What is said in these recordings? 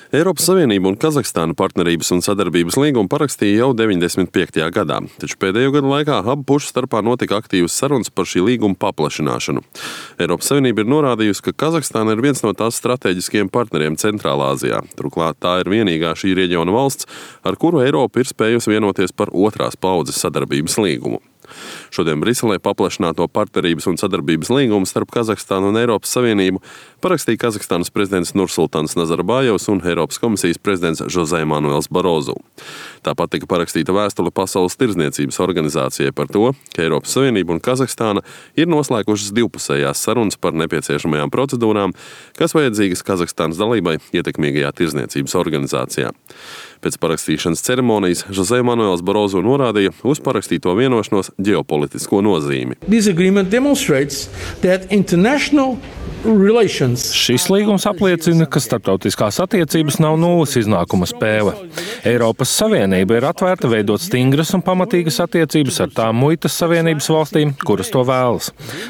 Eiropas Savienība un Kazahstāna partnerības un sadarbības līgumu parakstīja jau 95. gadā, taču pēdējo gadu laikā abu pušu starpā notika aktīvas sarunas par šī līguma paplašināšanu. Eiropas Savienība ir norādījusi, ka Kazahstāna ir viens no tās strateģiskajiem partneriem Centrālā Āzijā. Turklāt tā ir vienīgā šī reģiona valsts, ar kuru Eiropa ir spējusi vienoties par otrās paudzes sadarbības līgumu. Šodien Briselē paplašināto partnerības un sadarbības līgumu starp Kazahstānu un Eiropas Savienību parakstīja Kazahstānas prezidents Nursultāns Nazarbājevs un Eiropas komisijas prezidents Jose Manuels Barozu. Tāpat tika parakstīta vēstule Pasaules tirdzniecības organizācijai par to, ka Eiropas Savienība un Kazahstāna ir noslēgušas divpusējās sarunas par nepieciešamajām procedūrām, kas vajadzīgas Kazahstānas dalībai ietekmīgajā tirdzniecības organizācijā. Pēc parakstīšanas ceremonijas Jose Manuels Barozu norādīja uz parakstīto vienošanos ģeopolitisko nozīmi. Šis līgums apliecina, ka starptautiskās attiecības nav nulles iznākuma spēle. Eiropas Savienība ir atvērta veidot stingras un pamatīgas attiecības ar tām muitas savienības valstīm, kuras to vēlas.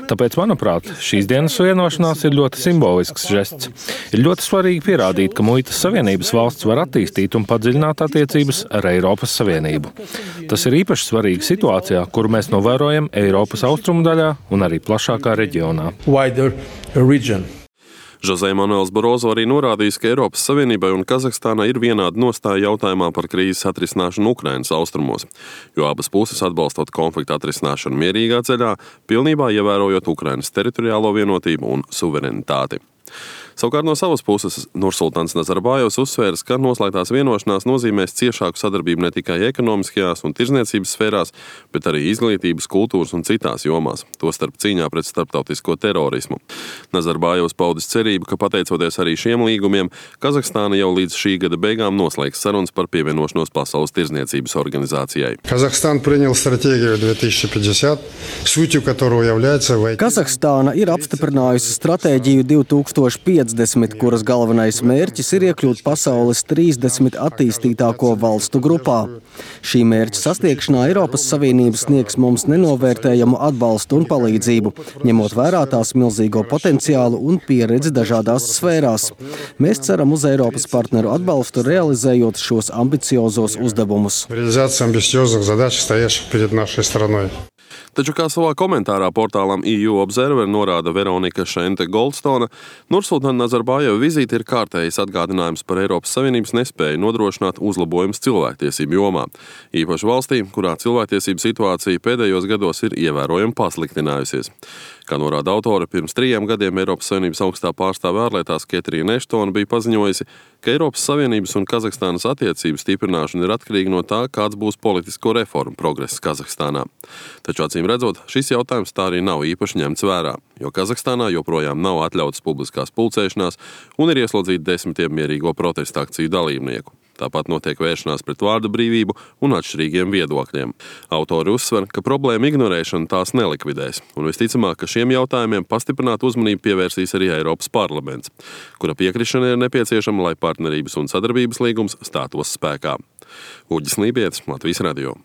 Tāpēc, manuprāt, šīs dienas vienošanās ir ļoti simbolisks žests. Ir ļoti svarīgi pierādīt, ka muitas savienības valsts var attīstīt un padziļināt attiecības ar Eiropas Savienību. Tas ir īpaši svarīgi situācijā, kuru mēs novērojam Eiropas austrumu daļā un arī plašākā reģionā. Jose Manuels Barozu arī norādījis, ka Eiropas Savienībai un Kazahstānai ir vienāda nostāja jautājumā par krīzes atrisināšanu Ukrainas austrumos, jo abas puses atbalstot konflikta atrisināšanu mierīgā ceļā, pilnībā ievērojot Ukrainas teritoriālo vienotību un suverenitāti. Savukārt no savas puses Nursultāns Nazarbājevs uzsvērs, ka noslēgtās vienošanās nozīmēs ciešāku sadarbību ne tikai ekonomiskajās un tirdzniecības sfērās, bet arī izglītības, kultūras un citās jomās, tostarp cīņā pret starptautisko terorismu. Nazarbājevs paudis cerību, ka pateicoties arī šiem līgumiem, Kazahstāna jau līdz šī gada beigām noslēgs sarunas par pievienošanos Pasaules tirdzniecības organizācijai. Kazahstāna ir apstiprinājusi stratēģiju 2050, kuras galvenais mērķis ir iekļūt pasaules 30 attīstītāko valstu grupā. Šī mērķa sasniegšanā Eiropas Savienība sniegs mums nenovērtējamu atbalstu un palīdzību, ņemot vērā tās milzīgo potenciālu un pieredzi dažādās sfērās. Mēs ceram uz Eiropas partneru atbalstu, realizējot šos ambiciozos uzdevumus. Taču, kā savā komentārā portālam EU Observer norāda Veronika Šente-Goldstone, Nursultāna Nazarbājeva vizīte ir kārtējs atgādinājums par Eiropas Savienības nespēju nodrošināt uzlabojumus cilvēktiesību jomā, īpaši valstī, kurā cilvēktiesību situācija pēdējos gados ir ievērojami pasliktinājusies. Kā norāda autore, pirms 3 gadiem Eiropas Savienības augstā pārstāve ārlietās Ketrīna Eštona bija paziņojusi, ka Eiropas Savienības un Kazahstānas attiecību stiprināšana ir atkarīga no tā, kāds būs politisko reformu progress Kazahstānā. Taču acīm redzot, šis jautājums tā arī nav īpaši ņemts vērā, jo Kazahstānā joprojām nav atļautas publiskās pulcēšanās un ir ieslodzīti desmitiem mierīgo protesta akciju dalībnieku. Tāpat notiek vēršanās pret vārda brīvību un atšķirīgiem viedokļiem. Autori uzsver, ka problēma ignorēšana tās nelikvidēs, un visticamāk, ka šiem jautājumiem pastiprinātu uzmanību pievērsīs arī Eiropas parlaments, kura piekrišana ir nepieciešama, lai partnerības un sadarbības līgums stātos spēkā. Uģis Lībietis, Latvijas radio.